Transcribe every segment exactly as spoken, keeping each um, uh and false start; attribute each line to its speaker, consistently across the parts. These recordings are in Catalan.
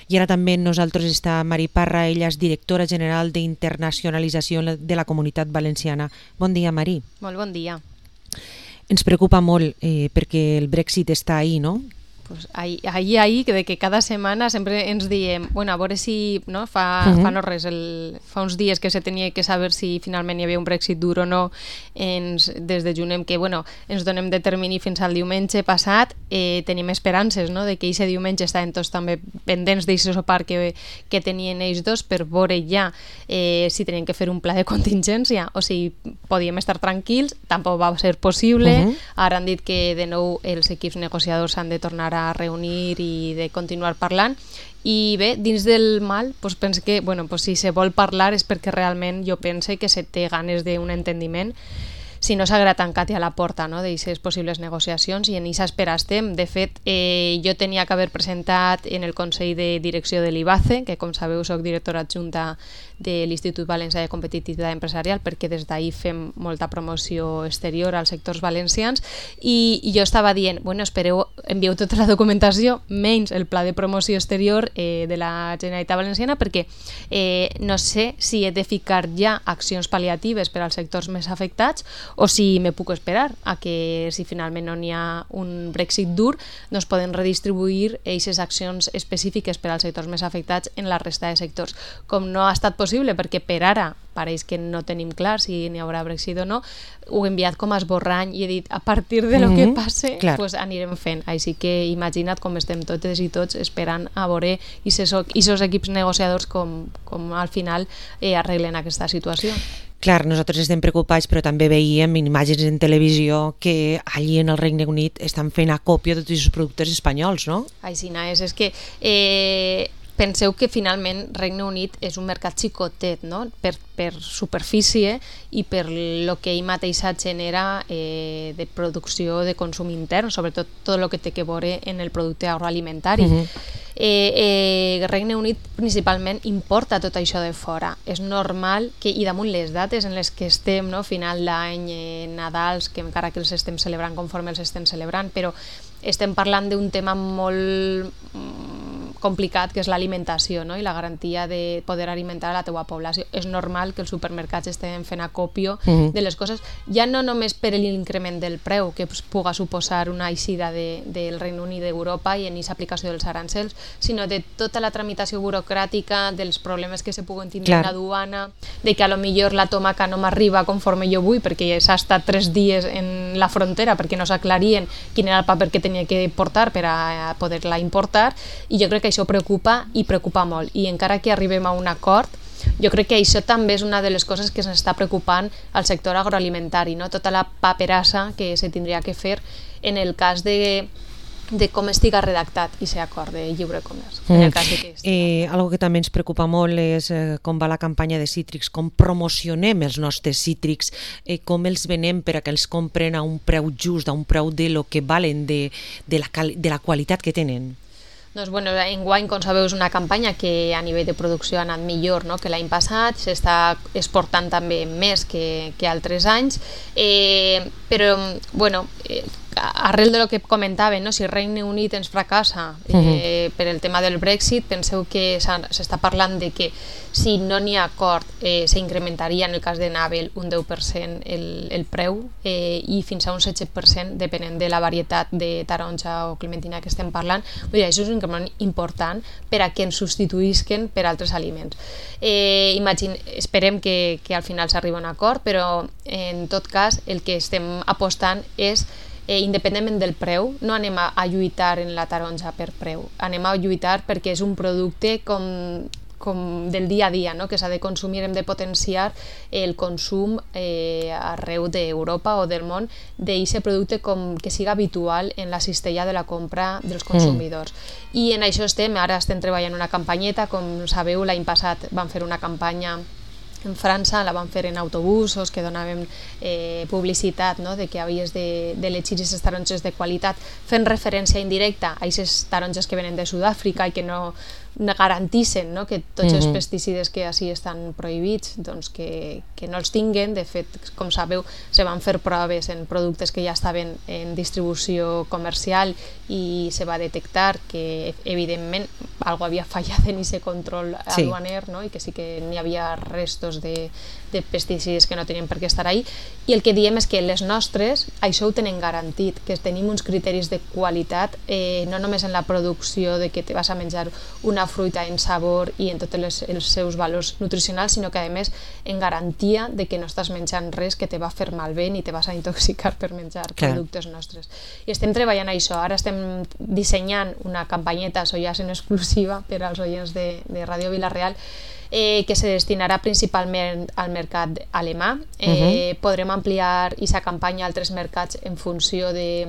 Speaker 1: I ara també amb nosaltres està Mari Parra, ella és directora general d'internacionalització de la Comunitat Valenciana. Bon dia, Mari.
Speaker 2: Molt bon dia.
Speaker 1: Ens preocupa molt eh, perquè el Brexit està ahí, no?
Speaker 2: Pues ahí, ahí, ahí, que de que cada setmana sempre ens diem, bueno, a veure si, no, fa, uh -huh. fa no res, el, fa uns dies que se tenia que saber si finalment hi havia un Brexit dur o no, ens, des de juny, que, bueno, ens donem de termini fins al diumenge passat, eh, tenim esperances, no?, de que aquest diumenge estaven tots també pendents d'aquest sopar que, que tenien ells dos per veure ja eh, si tenien que fer un pla de contingència o si podíem estar tranquils. Tampoc va ser possible. Uh -huh. Ara han dit que de nou els equips negociadors s'han de tornar a a reunir i de continuar parlant. I bé, dins del mal, doncs penso que, bueno, doncs si se vol parlar és perquè realment jo pense que se té ganes d'un entendiment, si no s'haguera tancat ja la porta, no?, d'aquestes possibles negociacions, i en aquesta espera estem. De fet, eh, jo tenia que haver presentat en el Consell de Direcció de l'I B A C E, que com sabeu soc directora adjunta de l'Institut Valencià de Competitivitat Empresarial, perquè des d'ahir fem molta promoció exterior als sectors valencians, i, i jo estava dient, bueno, espereu, envieu tota la documentació, menys el pla de promoció exterior eh, de la Generalitat Valenciana, perquè eh, no sé si he de ficar ja accions pal·liatives per als sectors més afectats, o si me puc esperar a que, si finalment no n'hi ha un Brexit dur, doncs poden redistribuir aquestes accions específiques per als sectors més afectats en la resta de sectors. Com no ha estat possible, perquè per ara pareix que no tenim clar si n'hi haurà Brexit o no, ho he enviat com a esborrany i he dit, a partir de lo mm-hmm. que passe, pues anirem fent. Així que imagina't com estem totes i tots esperant a veure aquests equips negociadors com, com al final eh, arreglen aquesta situació.
Speaker 1: Clar, nosaltres estem preocupats, però també veiem imatges en televisió que allí en el Regne Unit estan fent acòpia de tots els productes espanyols, no?
Speaker 2: Així és, és que eh, penseu que finalment Regne Unit és un mercat xicotet, no?, per, per superfície i per el que ell mateixa genera eh, de producció de consum intern, sobretot tot el que té que veure en el producte agroalimentari. Uh-huh. Eh, eh, Regne Unit principalment importa tot això de fora. És normal que, i damunt les dates en les que estem, no?, final d'any, eh, Nadals, que encara que els estem celebrant conforme els estem celebrant, però estem parlant d'un tema molt complicat, que és l'alimentació, no?, i la garantia de poder alimentar a la teua població. És normal que els supermercats estiguin fent acòpio uh-huh. de les coses, ja no només per l'increment del preu que puga suposar una eixida de, del Regne Unit d'Europa i en aquesta aplicació dels arancels, sinó de tota la tramitació burocràtica, dels problemes que se puguen tindre en la duana, de que a lo millor la tomaca no m'arriba conforme jo vull, perquè s'ha estat tres dies en la frontera perquè no s'aclarien quin era el paper que tenia que portar per a poder-la importar, i jo crec que això preocupa i preocupa molt, i encara que arribem a un acord, jo crec que això també és una de les coses que s'està preocupant al sector agroalimentari, no?, tota la paperassa que se tindria que fer en el cas de de com estiga redactat i ser acord de lliure comerç.
Speaker 1: Mm. En el cas de que eh, algo que també ens preocupa molt és eh, com va la campanya de cítrics, com promocionem els nostres cítrics, eh, com els venem per a que els compren a un preu just, a un preu de lo que valen, de, de, la, de la qualitat que tenen.
Speaker 2: Doncs, bueno, enguany, com sabeu, és una campanya que a nivell de producció ha anat millor, no?, que l'any passat, s'està exportant també més que, que altres anys, eh, però, bueno, eh, arrel de lo que comentava, no?, si Regne Unit ens fracassa eh, uh-huh. per el tema del Brexit, penseu que s'està parlant de que si no n'hi ha acord eh, s'incrementaria en el cas de Navel un deu per cent el, el preu eh, i fins a un setze per cent depenent de la varietat de taronja o clementina que estem parlant. Vull dir, això és un increment important per a que ens substituïsquen per altres aliments. Eh, imagine, esperem que, que al final s'arribi a un acord, però en tot cas el que estem apostant és Eh, independentment del preu, no anem a, a lluitar en la taronja per preu, anem a lluitar perquè és un producte com, com del dia a dia, no?, que s'ha de consumir, hem de potenciar el consum eh, arreu d'Europa o del món d'aquest producte com que siga habitual en la cistella de la compra dels consumidors. Mm. I en això estem, ara estem treballant una campanyeta, com sabeu, l'any passat vam fer una campanya en França, la van fer en autobusos que donàvem eh, publicitat, no?, de que havies d'elegir de, aquestes taronges de qualitat, fent referència indirecta a aquestes taronges que venen de Sud-àfrica i que no garantissen, no?, que tots els pesticides que així estan prohibits doncs que, que no els tinguen. De fet, com sabeu, se van fer proves en productes que ja estaven en distribució comercial i se va detectar que, evidentment, algo havia fallat en aquest control
Speaker 1: Sí.
Speaker 2: aduaner, no? I que sí que n'hi havia restos de, de pesticides que no tenien per què estar ahí. I el que diem és que les nostres, això ho tenen garantit, que tenim uns criteris de qualitat, eh, no només en la producció de que te vas a menjar una fruita en sabor i en tots les, els seus valors nutricionals, sinó que a més en garantia de que no estàs menjant res que te va fer malbé ni te vas a intoxicar per menjar
Speaker 1: Clar.
Speaker 2: productes nostres. I estem treballant a això. Ara estem dissenyant una campanyeta, això ja és en exclusiva per als oients de, de Ràdio Vila-real, eh, que se destinarà principalment al mercat alemà. Eh, uh-huh. Podrem ampliar aquesta campanya a altres mercats en funció de...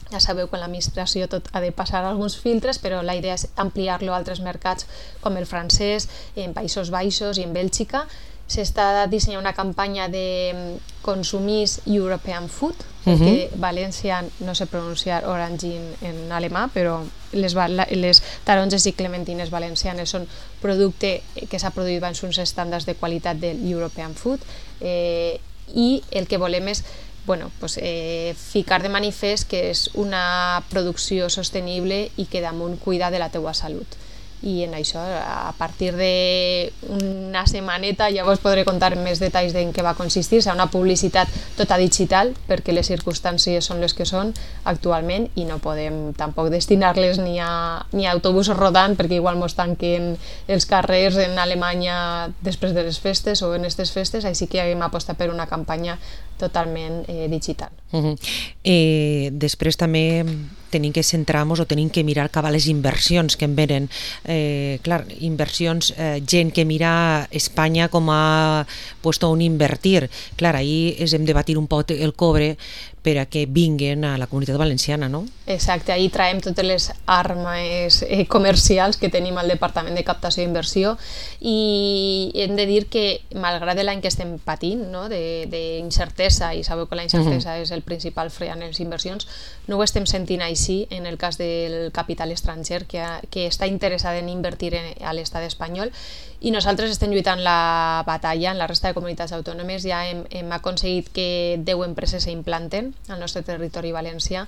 Speaker 2: Ja sabeu que en l'administració tot ha de passar alguns filtres, però la idea és ampliar-lo a altres mercats com el francès, en Països Baixos i en Bèlgica. S'està dissenyant una campanya de consumís European Food, perquè uh-huh. València no sé pronunciar orange en, en alemà, però les, les taronges i clementines valencianes són producte que s'ha produït amb uns estàndards de qualitat del European Food, eh, i el que volem és bueno, pues, eh, ficar de manifest que és una producció sostenible i que damunt cuida de la teua salut. I en això, a partir d'una setmaneta, ja vos podré contar més detalls en què va consistir. Serà una publicitat tota digital, perquè les circumstàncies són les que són actualment i no podem tampoc destinar-les ni a, ni a autobusos rodant, perquè igual mos tanquen els carrers en Alemanya després de les festes o en aquestes festes, així que hem apostat per una campanya totalment eh, digital.
Speaker 1: Uh-huh. eh, després també tenim que centrar-nos o tenim que mirar cap a les inversions que en venen. Eh, clar, inversions, eh, gent que mira Espanya com a puesto on invertir. Clar, ahí és hem de batir un poc el cobre per a que vinguen a la Comunitat Valenciana, no?
Speaker 2: Exacte, ahí traiem totes les armes eh, comercials que tenim al Departament de Captació i Inversió, i hem de dir que, malgrat l'any que estem patint, no, d'incertesa, i sabeu que la incertesa uh-huh. és el principal fre en les inversions, no ho estem sentint així en el cas del capital estranger que, ha, que està interessat en invertir en, a l'estat espanyol, i nosaltres estem lluitant la batalla en la resta de comunitats autònomes. Ja hem, hem aconseguit que deu empreses s'implanten al nostre territori valencià.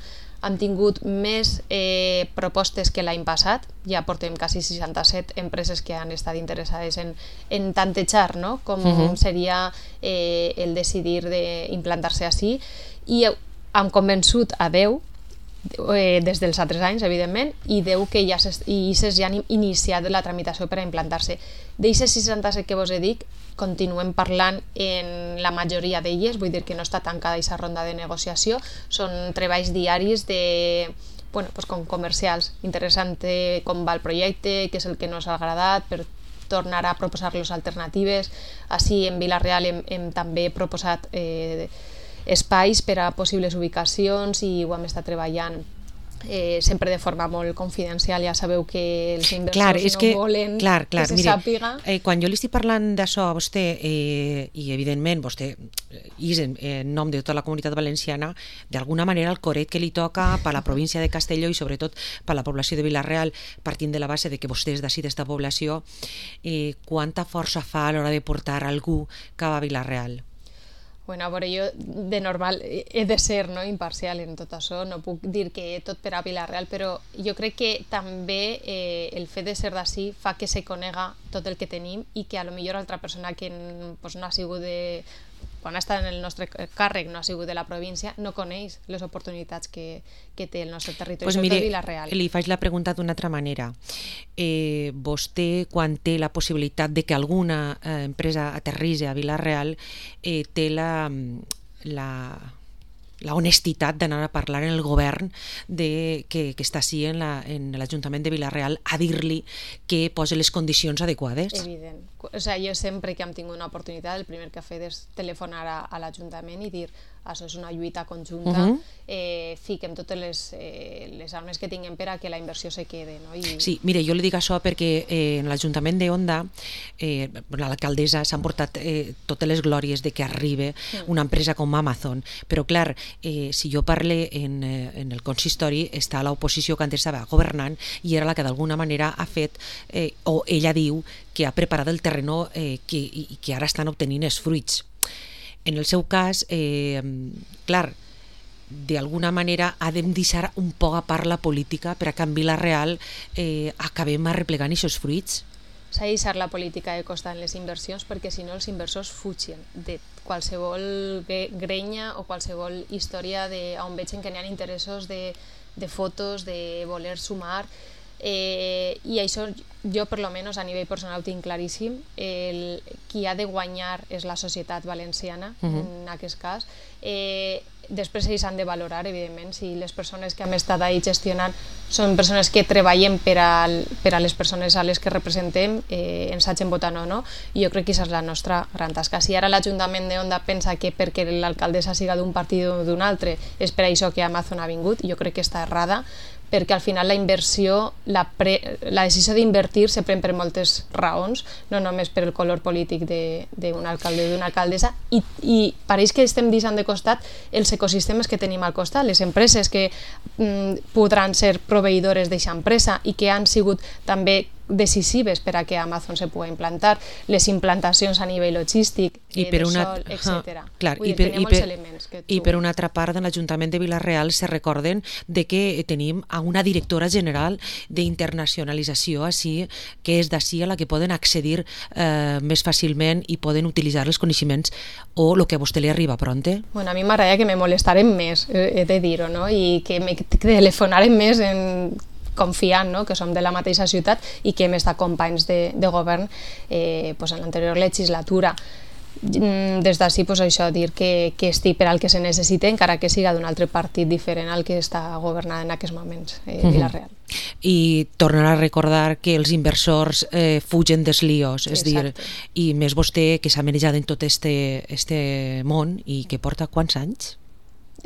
Speaker 2: Han tingut més eh, propostes que l'any passat, ja portem quasi seixanta-set empreses que han estat interessades en, en tantejar, no? Com uh-huh. seria eh, el decidir d'implantar-se així, i hem convençut a deu, eh, des dels altres anys, evidentment, i deu que ja, i ja han iniciat la tramitació per a implantar-se. D'eixes seixanta-set que vos he dit, continuem parlant en la majoria d'elles, vull dir que no està tancada aquesta ronda de negociació, són treballs diaris de, bueno, pues com comercials, interessant com va el projecte, què és el que no s'ha agradat, per tornar a proposar-los alternatives. Així en Vila-real hem, hem també proposat eh, espais per a possibles ubicacions i ho hem estat treballant Eh, sempre de forma molt confidencial. Ja sabeu que els inversors
Speaker 1: clar, és
Speaker 2: no
Speaker 1: que,
Speaker 2: volen
Speaker 1: clar, clar,
Speaker 2: que se
Speaker 1: mire,
Speaker 2: sàpiga.
Speaker 1: Eh, quan jo li estic parlant d'això a vostè, eh, i evidentment vostè és en, en nom de tota la comunitat valenciana, d'alguna manera el coret que li toca per la província de Castelló i sobretot per la població de Vila-real, partint de la base de que vostè és d'ací d'esta població, eh, quanta força fa a l'hora de portar algú cap a Vila-real?
Speaker 2: Bueno, a veure, jo de normal he de ser, no, imparcial en tot això, no puc dir que tot per a Vila-real, però jo crec que també eh, el fet de ser d'ací fa que se conega tot el que tenim i que a lo millor altra persona que pues, no ha sigut de... quan ha estat en el nostre càrrec, no ha sigut de la província, no coneix les oportunitats que, que té el nostre territori,
Speaker 1: pues
Speaker 2: sobretot
Speaker 1: mire,
Speaker 2: Vila-real.
Speaker 1: Li faig la pregunta d'una altra manera. Eh, vostè, quan té la possibilitat de que alguna eh, empresa aterritzi a Vila-real, eh, té la, la, la honestitat d'anar a parlar en el govern de, que, que està així en l'Ajuntament de Vila-real a dir-li que posi les condicions adequades?
Speaker 2: Evident. O sea, jo sempre que hem tingut una oportunitat, el primer que he fet és telefonar a, a l'Ajuntament i dir això és una lluita conjunta, uh-huh. eh, fiquem totes les, eh, les armes que tinguem per a que la inversió se quede. No? I...
Speaker 1: Sí, mire, jo li dic això perquè eh, en l'Ajuntament d'Onda, eh, l'alcaldessa s'han portat eh, totes les glòries de que arribi uh-huh. una empresa com Amazon, però clar, eh, si jo parle en, eh, en el consistori, està l'oposició que antes estava governant i era la que d'alguna manera ha fet, eh, o ella diu que ha preparat el terreno eh, que, i que ara estan obtenint els fruits. En el seu cas, eh, clar, d'alguna manera ha de deixar un poc a part la política per a que en Vila Real eh, acabem arreplegant aquests fruits?
Speaker 2: S'ha de deixar la política de costat en les inversions perquè si no els inversors fugen de qualsevol grenya o qualsevol història de, on vegin que n'hi ha interessos de, de fotos, de voler sumar. Eh, I això jo per lo menos a nivell personal ho tinc claríssim. El, qui ha de guanyar és la societat valenciana, uh-huh. en aquest cas. Eh, després ells han de valorar, evidentment, si les persones que hem estat ahí gestionant són persones que treballem per a, per a les persones a les que representem, eh, ens hagin votat o no. I jo crec que aquesta és la nostra gran tasca. Si ara l'Ajuntament d'Onda pensa que perquè l'alcaldessa siga d'un partit o d'un altre és per això que Amazon ha vingut, jo crec que està errada, perquè al final la inversió, la, pre, la decisió d'invertir se pren per moltes raons, no només per el color polític d'un alcalde o d'una alcaldessa, i, i pareix que estem deixant de costat els ecosistemes que tenim al costat, les empreses que mm, podran ser proveïdores d'aquesta empresa i que han sigut també decisives per a que Amazon se pugui implantar, les implantacions a nivell logístic,
Speaker 1: I per
Speaker 2: de
Speaker 1: una,
Speaker 2: sol, etcètera.
Speaker 1: Clar,
Speaker 2: Vull
Speaker 1: i,
Speaker 2: dir,
Speaker 1: per, i, per,
Speaker 2: que tu...
Speaker 1: i per una altra part de l'Ajuntament de Vila-real se recorden de que tenim a una directora general d'internacionalització així, que és d'ací a la que poden accedir eh, més fàcilment i poden utilitzar els coneixements o el que a vostè li arriba pronte.
Speaker 2: Bueno, a mi m'agradaria que me molestaren més, he de dir-ho, no? I que me telefonaren més en confiant, no? Que som de la mateixa ciutat i que hem estat companys de, de govern eh, pues en l'anterior legislatura. Des d'ací, pues això, dir que, que estic per al que se necessita, encara que siga d'un altre partit diferent al que està governant en aquests moments, eh, uh-huh. Vila-real.
Speaker 1: I tornar a recordar que els inversors eh, fugen dels líos, és Exacte. dir, i més vostè que s'ha manejat en tot este, este món i que porta quants anys?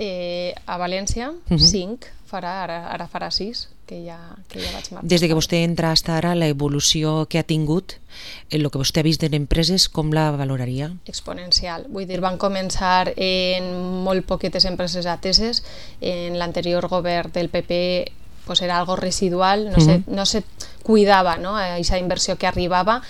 Speaker 2: Eh, a València, uh-huh. cinc, farà, ara, ara farà sis, que ja, que ja vaig marxar.
Speaker 1: Des de que vostè entra fins ara, l'evolució que ha tingut, el que vostè ha vist en empreses, com la valoraria?
Speaker 2: Exponencial. Vull dir, van començar en molt poquetes empreses ateses, en l'anterior govern del P P pues era algo residual, no, uh-huh. se, no se cuidava, no? Aquesta inversió que arribava,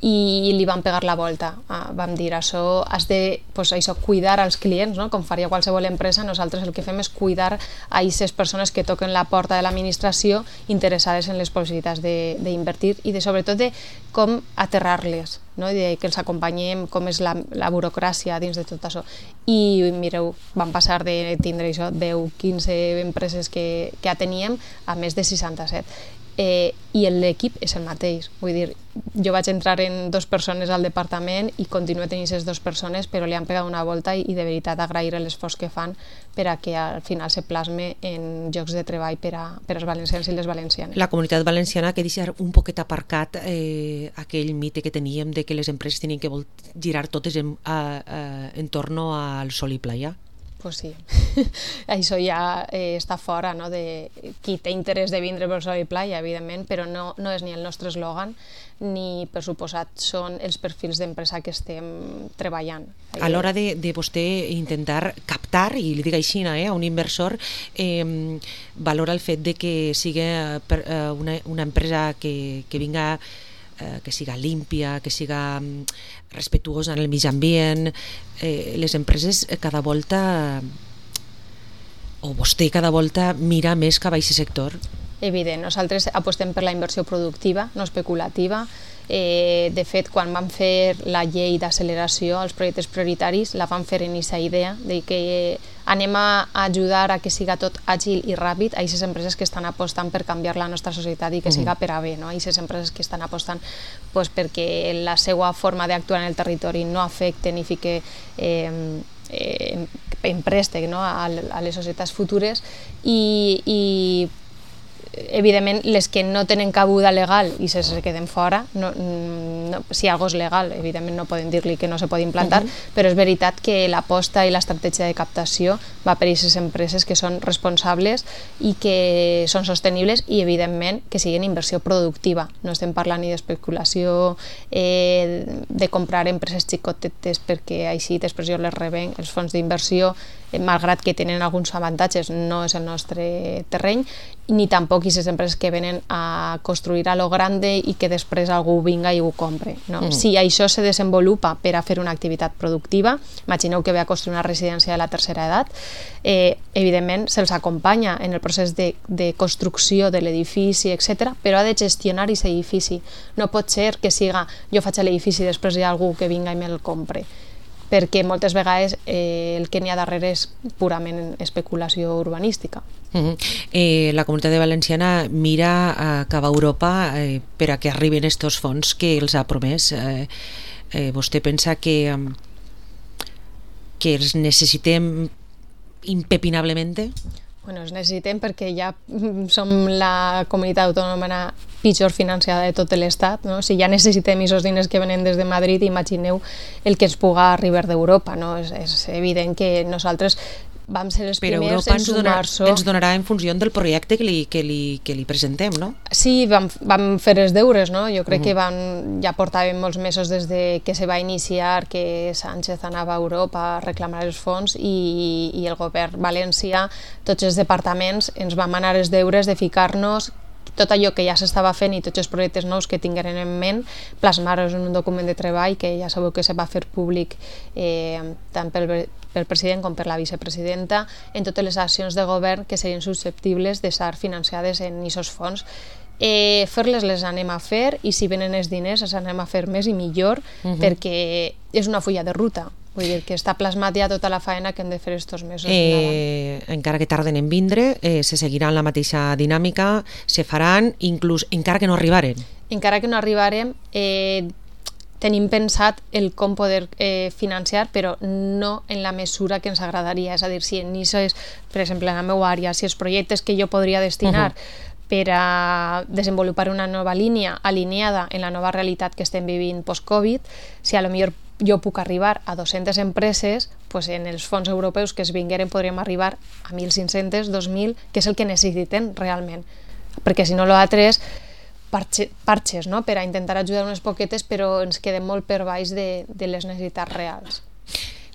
Speaker 2: i li van pegar la volta. Ah, vam dir, això has de pues, això, cuidar als clients, no? Com faria qualsevol empresa, nosaltres el que fem és cuidar a aquestes persones que toquen la porta de l'administració interessades en les possibilitats d'invertir i de, sobretot de com aterrar-les, no? I de que els acompanyem, com és la, la burocràcia dins de tot això. I mireu, vam passar de tindre això, deu quinze empreses que, que ja teníem a més de seixanta-set. Eh, i l'equip és el mateix, vull dir, jo vaig entrar en dues persones al departament i continuo tenint aquestes dues persones, però li han pegat una volta i, i de veritat agrair l'esforç que fan per a que al final se plasme en llocs de treball per, a, per als valencians i les valencianes.
Speaker 1: La comunitat valenciana que deixar un poquet aparcat eh, aquell mite que teníem de que les empreses tenien que girar totes en, a, a, en torno al sol i playa.
Speaker 2: Pues sí, això ja eh, està fora, no? De qui té interès de vindre per sol i playa, evidentment, però no, no és ni el nostre eslògan ni, per suposat, són els perfils d'empresa que estem treballant.
Speaker 1: A l'hora de, de vostè intentar captar, i li dic així, eh, a un inversor, eh, valora el fet de que sigui eh, una, una empresa que, que vinga que siga límpia, que siga respetuosa en el mig ambient. Eh, les empreses cada volta, o vostè cada volta mira més cap a aquest sector?
Speaker 2: Evident, nosaltres apostem per la inversió productiva, no especulativa. Eh, de fet, quan vam fer la llei d'acceleració als projectes prioritaris, la vam fer en aquesta idea de que anem a ajudar a que siga tot àgil i ràpid a aquestes empreses que estan apostant per canviar la nostra societat i que siga per a bé, no? A aquestes empreses que estan apostant pues, perquè la seva forma d'actuar en el territori no afecte ni fique eh, eh, en préstec, no? a, a les societats futures i, i evidentment les que no tenen cabuda legal i se, se queden fora, no, no, si algo és legal, evidentment no poden dir-li que no se pot implantar, uh-huh. però és veritat que l'aposta i l'estratègia de captació va per a aquestes empreses que són responsables i que són sostenibles i evidentment que siguin inversió productiva. No estem parlant ni d'especulació, eh, de comprar empreses xicotetes perquè així després jo les reben els fons d'inversió, malgrat que tenen alguns avantatges, no és el nostre terreny ni tampoc aquestes empreses que venen a construir a lo grande i que després algú vinga i ho compre. No? Mm. Si això se desenvolupa per a fer una activitat productiva, imagineu que ve a construir una residència de la tercera edat, eh, evidentment se'ls acompanya en el procés de, de construcció de l'edifici, etcètera, però ha de gestionar aquest edifici. No pot ser que siga jo faig l'edifici i després hi ha algú que vinga i me'l compre, perquè moltes vegades eh, el que n'hi ha darrere és purament especulació urbanística.
Speaker 1: Uh-huh. eh, la Comunitat Valenciana mira a cap a Europa eh, per a que arriben estos fons que els ha promès. Eh, eh, vostè pensa que, que els necessitem impepinablement?
Speaker 2: Bueno, els necessitem perquè ja som la comunitat autònoma pitjor financiada de tot l'Estat, no? Si ja necessitem aquests diners que venen des de Madrid, imagineu el que ens puga arribar d'Europa, no? És, és evident que nosaltres vam ser els
Speaker 1: Però
Speaker 2: primers
Speaker 1: Europa
Speaker 2: en sumar-se.
Speaker 1: Ens donarà en funció del projecte que li, que li, que li presentem, no?
Speaker 2: Sí, vam, vam fer els deures, no? Jo crec uh-huh. que vam, ja portàvem molts mesos des de que se va iniciar que Sánchez anava a Europa a reclamar els fons i, i el govern valencià, tots els departaments, ens vam anar els deures de ficar-nos tot allò que ja s'estava fent i tots els projectes nous que tingueren en ment, plasmar-los en un document de treball que ja sabeu que se va fer públic eh, tant pel, pel president com per la vicepresidenta en totes les accions de govern que serien susceptibles de ser financiades en aquests fons. Eh, fer-les les anem a fer i si venen els diners els anem a fer més i millor uh-huh. perquè és una fulla de ruta. Vull dir que està plasmat ja tota la faena que hem de fer estos mesos.
Speaker 1: Eh, encara que tarden en vindre, eh, se seguiran la mateixa dinàmica, se faran, inclús encara que no arribaren.
Speaker 2: Encara que no arribarem, eh, tenim pensat el com poder eh, financiar, però no en la mesura que ens agradaria. És a dir, si en això és, per exemple, en la meva àrea, si els projectes que jo podria destinar uh-huh. per a desenvolupar una nova línia alineada en la nova realitat que estem vivint post-Covid, si a lo millor jo puc arribar a dues-centes empreses, pues en els fons europeus que es vingueren podríem arribar a mil cinc-cents, dos mil, que és el que necessiten realment. Perquè si no l'altre és parche, parxes, no? Per a intentar ajudar unes poquetes, però ens quedem molt per baix de, de les necessitats reals.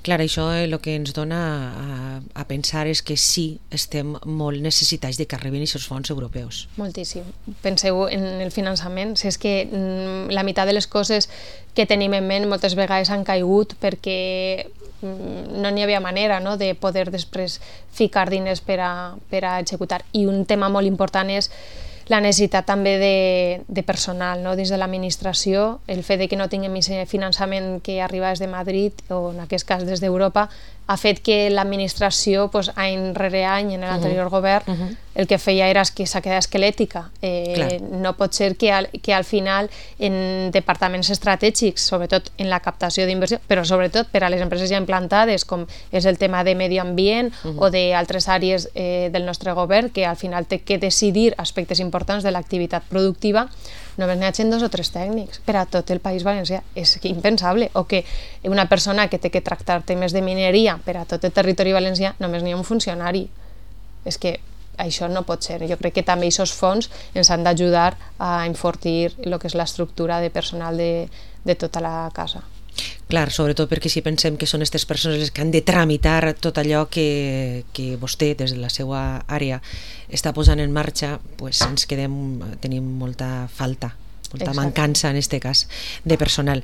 Speaker 1: Clar, això el que ens dona a, a pensar és que sí, estem molt necessitats de que arribin aquests fons europeus.
Speaker 2: Moltíssim. Penseu en el finançament, si és que mm, la meitat de les coses que tenim en ment moltes vegades han caigut perquè mm, no n'hi havia manera, no?, de poder després ficar diners per a, per a executar. I un tema molt important és la necessitat també de, de personal, no? Dins de l'administració, el fet de que no tinguem aquest finançament que arriba des de Madrid o en aquest cas des d'Europa ha fet que l'administració, pues, any rere any en l'anterior uh-huh. govern, uh-huh. el que feia era que s'ha quedat esquelètica. Eh, no pot ser que al, que al final en departaments estratègics, sobretot en la captació d'inversió, però sobretot per a les empreses ja implantades, com és el tema de medi ambient uh-huh. o d'altres àrees eh, del nostre govern, que al final té que decidir aspectes importants de l'activitat productiva, només n'hi hagin dos o tres tècnics per a tot el País Valencià. És impensable. O que una persona que té que tractar temes de mineria per a tot el territori valencià, només n'hi ha un funcionari. És que això no pot ser. Jo crec que també aquests fons ens han d'ajudar a enfortir el que és l'estructura de personal de, de tota la casa.
Speaker 1: Clar, sobretot perquè si pensem que són aquestes persones les que han de tramitar tot allò que, que vostè, des de la seva àrea, està posant en marxa, pues ens quedem, tenim molta falta, molta Exacte. mancança en aquest cas de personal.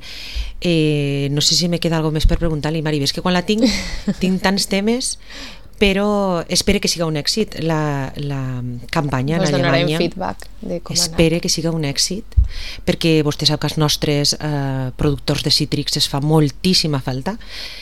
Speaker 1: Eh, no sé si me queda alguna més per preguntar-li, Mari, és que quan la tinc, tinc tants temes, però espere que siga un èxit la, la campanya
Speaker 2: Vos
Speaker 1: en Alemanya.
Speaker 2: Feedback de com
Speaker 1: espere que siga un èxit, perquè vostè sap que els nostres eh, productors de cítrics es fa moltíssima falta,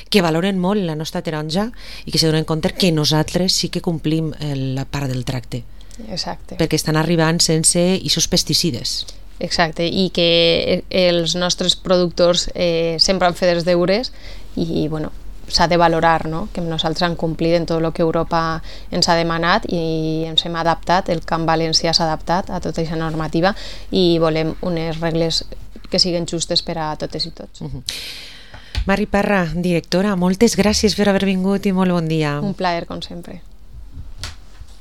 Speaker 1: que valoren molt la nostra taronja i que se donen compte que nosaltres sí que complim la part del tracte.
Speaker 2: Exacte.
Speaker 1: Perquè estan arribant sense aquests pesticides.
Speaker 2: Exacte, i que els nostres productors eh, sempre han fet els deures i, bueno, s'ha de valorar, no?, que nosaltres hem complit en tot el que Europa ens ha demanat i ens hem adaptat, el camp valencià s'ha adaptat a tota aquesta normativa i volem unes regles que siguin justes per a totes i tots. Uh-huh.
Speaker 1: Mari Parra, directora, moltes gràcies per haver vingut i molt bon dia.
Speaker 2: Un plaer, com sempre.